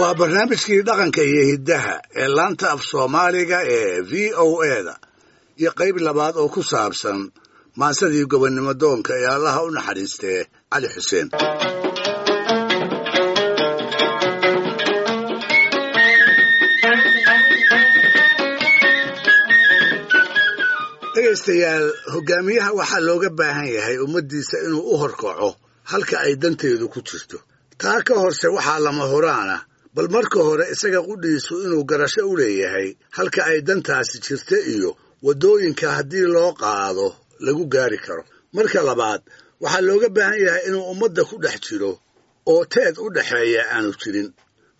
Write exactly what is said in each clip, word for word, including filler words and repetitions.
Waa barnaamijkii dhaqanka iyo hiddaha ee laanta af Soomaaliga ee V O A da iyo qayb labaad oo ku saabsan maansadii gobonnimo doonka ee Allaha u naxariistee Cali Xuseen. Dhegaystayaal, hogaamiyaha waxaa looga baahan yahay ummaddiisa inuu u horkaco halka ay danteedu ku jirto. Taa ka horse waxaa lama huraana bal marka hore isaga qudhiisu inuu garasho u leeyahay halka ay dantaasi jirta iyo waddooyinka haddii loo qaado lagu gaari karo. Marka labaad waxaa looga baahan yahay inuu ummadda ku dhex jiro oo teed u dhexeeya aanu jirin.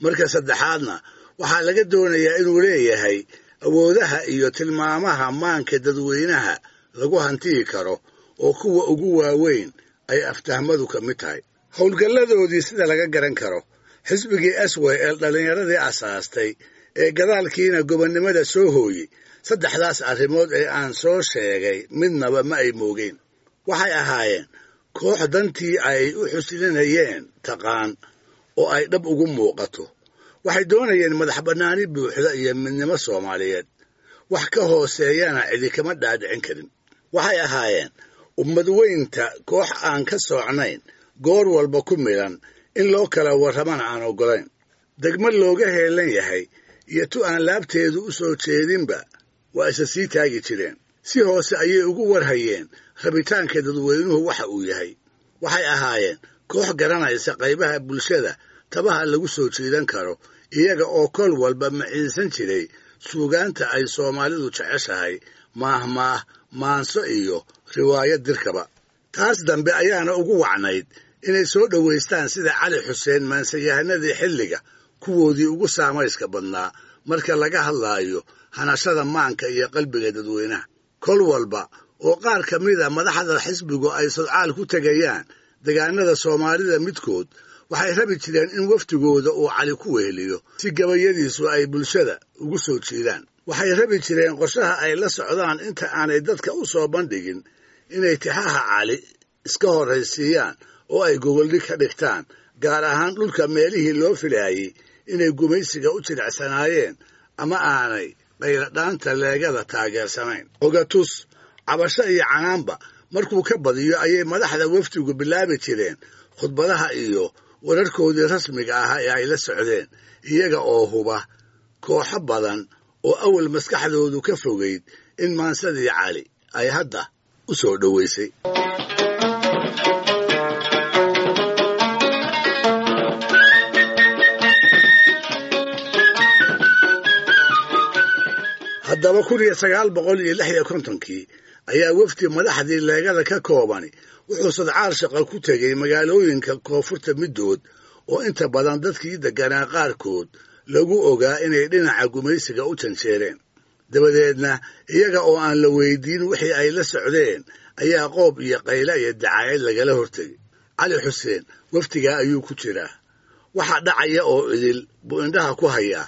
Marka saddexaadna waxaa laga doonayaa inuu leeyahay awoodaha iyo tilmaamaha maanka dadweynaha lagu hantiyi karo oo kuwa ugu waaweyn ay aftahmadu ka mid tahay. Howlgalladoodii sida laga garan karo, xisbigii S Y L dhallinyaradii asaastay ee gadaalkiina gobonnimada soo hooyey, saddexdaas arrimood ee aan soo sheegay midnaba ma ay moogeen. Waxay ahaayeen koox dantii ay u xuslinayeen taqaan oo ay dhab ugu muuqato. Waxay doonayeen madax bannaani buuxda iyo midnimo Soomaaliyeed, wax ka hooseeyana cidi kama dhaadhicin karin. Waxay ahaayeen ummad weynta koox aan ka soocnayn, goor walba ku milan in loo kala warramana aan oggolayn. Degmo looga heelan yahay iyo tu aan laabteedu u soo jeedinba waa isa sii taagi jireen. Si hoose ayay ugu warhayeen rabitaanka dadweynuhu waxa uu yahay. Waxay ahaayeen koox garanaysa qaybaha bulshada tabaha lagu soo jeedan karo, iyaga oo kol walba maciinsan jiray suugaanta ay Soomaalidu jeceshahay, maahmaah, maanso iyo riwaayad dirkaba. Taas dambe ayaana ugu wacnayd inay soo dhowaystaan sida Cali Xuseen maansayahanadii xilliga kuwoodii ugu saamayska badnaa marka laga hadlaayo hanashada maanka iyo qalbiga dadweynaha. Kol walba oo qaar ka mida madaxda xisbigu ay sodcaal ku tegayaan degaanada Soomaalida midkood, waxay rabi jireen in wafdigooda uu Cali ku weheliyo si gabayadiisu ay bulshada ugu soo jiidaan. Waxay rabi jireen qorshaha ay la socdaan inta aanay dadka u soo bandhigin inay tixaha Cali iska horraysiiyaan oo ay gogoldhig ka dhigtaan, gaar ahaan dhulka meelihii loo filaayey inay gumaysiga u jilicsanaayeen ama aanay qayladhaanta leegada taageersanayn. Ogatus, cabasho iyo canaanba markuu ka badiyo ayay madaxda wafdigu bilaabi jireen khudbadaha iyo wararkoodii rasmiga ahaa ee ay la socdeen, iyaga oo huba kooxo badan oo awal maskaxdoodu ka fogeyd in maansadii Cali ay hadda u soo dhoweysay. Haddaba kun iyo sagaal boqol iyo lix iyo kontonkii ayaa wafdi madaxdii leegada ka koobani wuxuu sadcaal shaqo ku tegey magaalooyinka koonfurta middood oo inta badan dadkii deganaa qaarkood lagu ogaa inay dhinaca gumaysiga u janjeereen. Dabadeedna iyaga oo aan la weydiin wixii ay la socdeen ayaa qoob iyo qayla iyo dacaayad lagala hortegey. Cali Xuseen wafdigaa ayuu ku jiraa. Waxa dhacaya oo idil buu indhaha ku hayaa.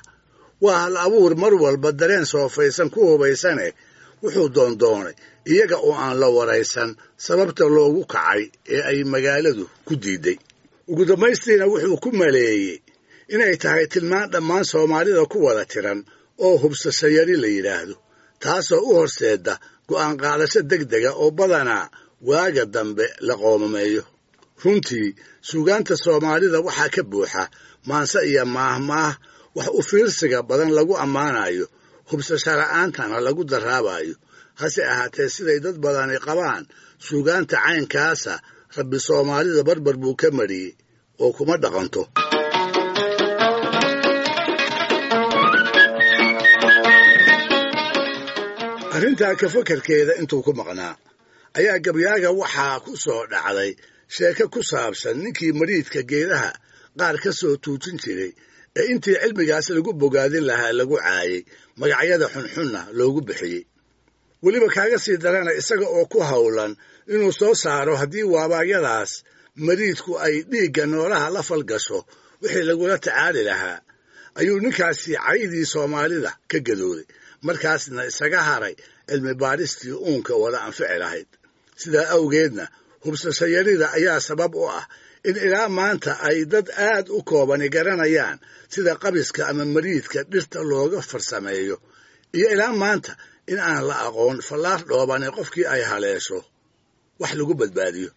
Waa hal abuur mar walba dareen soofaysan ku hubaysane wuxuu doondoonay iyaga oo aan la waraysan sababta loogu kacay ee ay magaaladu ku diiday. Ugu dambaystiina wuxuu ku maleeyey inay tahay tilmaan dhammaan Soomaalida ku wada tiran oo hubsasho yari la yidhaahdo, taasoo u horseeda go'aan qaadasho degdega oo badanaa waaga dambe la qoomameeyo. Runtii suugaanta Soomaalida waxaa ka buuxa maanse iyo maahmaah wax u fiirsiga badan lagu ammaanayo, hubsasho la'aantana lagu daraabayo. Hase ahaatee siday dad badani qabaan, suugaanta caynkaasa Rabbi Soomaalida barbar buu ka mariyey oo kuma dhaqanto. Arrintaa ka fakarkeeda intuu ku maqnaa ayaa gabyaaga waxaa ku soo dhacday sheeko ku saabsan ninkii mariidka geedaha qaar ka soo tuujin jiray ee intii cilmigaas lagu bogaadin lahaa lagu caayey, magacyada xunxunna loogu bixiyey. Weliba kaaga sii darana isaga oo ku howlan inuu soo saaro haddii waabaayadaas mariidku ay dhiigga noolaha la falgasho wixii lagula tacaali lahaa, ayuu ninkaasi caydii Soomaalida ka gadooday, markaasna isaga haray cilmi baaristii uunka wada anfici lahayd. Sidaa awgeedna Hubsashayarida ayaa sabab u ah in ilaa maanta ay dad aad u koobani garanayaan sida qabiska ama mariidka dhirta looga farsameeyo, iyo ilaa maanta in aan la aqoon fallaar dhoobani qofkii ay haleesho wax lagu badbaadiyo.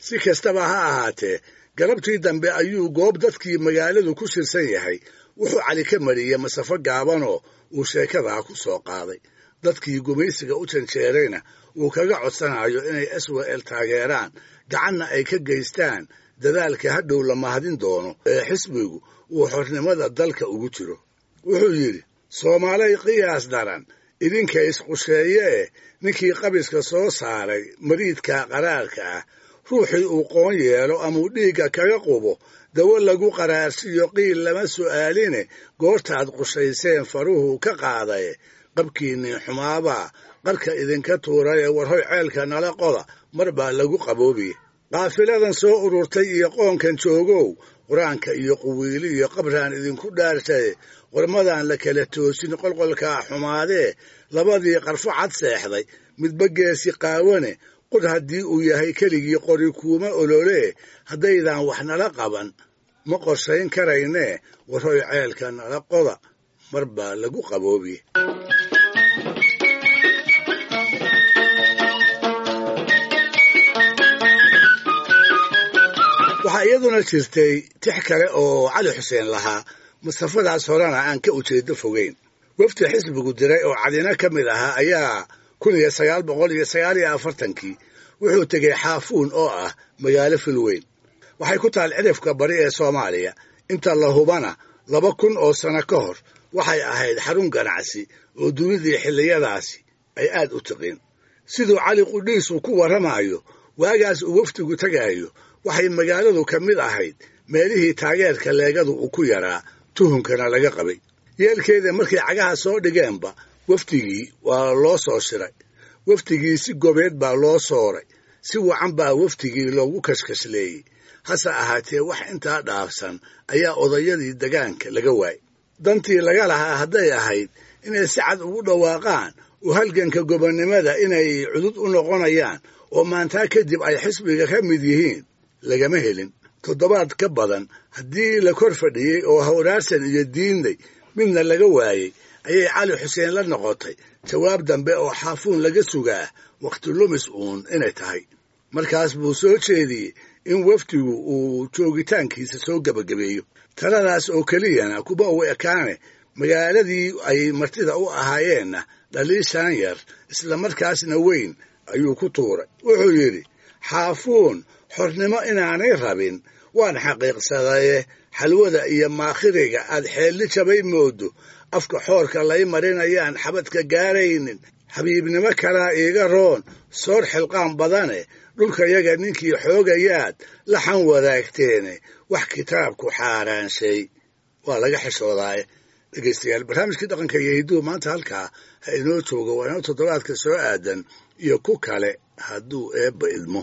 Si kastaba ha ahaatee, galabtii dambe ayuu goob dadkii magaaladu ku shirsan yahay wuxuu Cali ka mariyey masafo gaabanoo uu sheekadaa ku soo qaaday. Dadkii gumaysiga u janjeerayna uu kaga codsanayo inay S W L taageeraan, gacanna ay ka geystaan dadaalka hadhow la mahadin doono ee xisbigu uu xornimada dalka ugu jiro. Wuxuu yidhi, Soomaalay qiyaas daran idinka isqusheeye eh, ninkii qabiska soo saaray mariidka qaraarka ah, ruuxii uu qoon yeelo amuu dhiigga kaga qubo, dawo lagu qaraarsiyo qiil lama su'aaline, goortaad qushayseen faruhu ka qaadaye, qabkiinnii xumaabaa qarka idinka tuuraye, warhoy ceelka nala qoda mar baa lagu qaboobiye. Qaafiladan soo ururtay iyo qoonkan joogow, qur-aanka iyo quwiili iyo qabraan idinku dhaartaye, qormadaan la kala toosin qolqolkaa xumaadee, labadii qarfo cad seexday midba geesi qaawane, qod haddii uu yahay keligii qori kuuma ololee, haddaydaan wax nala qaban ma qorshayn karaynee, warhoy ceelka nala qoda mar baa lagu qaboobiye. Waxaa iyaduna jirtay tix kale oo Cali Xuseen lahaa, masafadaas horena aan ka ujeedo fogeyn. Wafdi xisbigu diray oo Cadina ka mid ahaa ayaa kun iyo sagaal boqol iyo sagaal iyo afartankii wuxuu tegey Xaafuun oo ah magaalo filweyn. Waxay ku taal cidhifka bari ee Soomaaliya. Inta la hubana laba kun oo sano ka hor waxay ahayd xarun ganacsi oo dunidii xilliyadaasi ay aad u tiqiin. Siduu Cali qudhiisu ku warramayo, waagaas uu wafdigu tagaayo waxay magaaladu ka mid ahayd meelihii taageerka leegadu uu ku yaraa, tuhunkana laga qabay. Yeelkeeda markay cagaha soo dhigeenba wafdigii waa loo soo shiray. Wafdigii si gobeed baa loo sooray, si wacan baa wafdigii loogu kashkashleeyey. Hase ahaatee wax intaa dhaafsan ayaa odayadii degaanka laga waayey. Dantii laga lahaa hadday ahayd inay si cad ugu dhawaaqaan oo halganka gobonnimada inay cudud u noqonayaan oo maantaa kadib ay xisbiga ka mid yihiin, lagama helin. Toddobaad ka badan haddii la kor fadhiyey oo hawraarsan iyo diinday midna laga waayey, ayay Cali Xuseen la noqotay jawaab dambe oo Xaafuun laga sugaa wakhti lumis uun inay tahay. Markaas buu soo jeediyey in wafdigu uu joogitaankiisa soo gebagabeeyo. Taladaas oo keliyana kuba uu ekaane, magaaladii ay martida u ahaayeenna dhaliishaan yar isla markaasna weyn ayuu ku tuuray. Wuxuu yidhi, Xaafuun xornimo inaanay rabin waan xaqiiqsadaye, xalwada iyo maakhiriga aad xeelli jabay moodo, afka xoorka lay marinayaan xabadka gaaraynin, xabiibnimo kalaa iiga roon soor xilqaan badane, dhulkayaga ninkii xoogayaad laxan wadaagteene, wax kitaabku xaaraanshay waa laga xishoodaaye. Dhegaystayaal, barnaamijkii dhaqanka iyo hidduhu maanta halkaa ha inoo joogo. Waa inoo toddobaadka soo aadan iyo ku kale hadduu eebba idmo.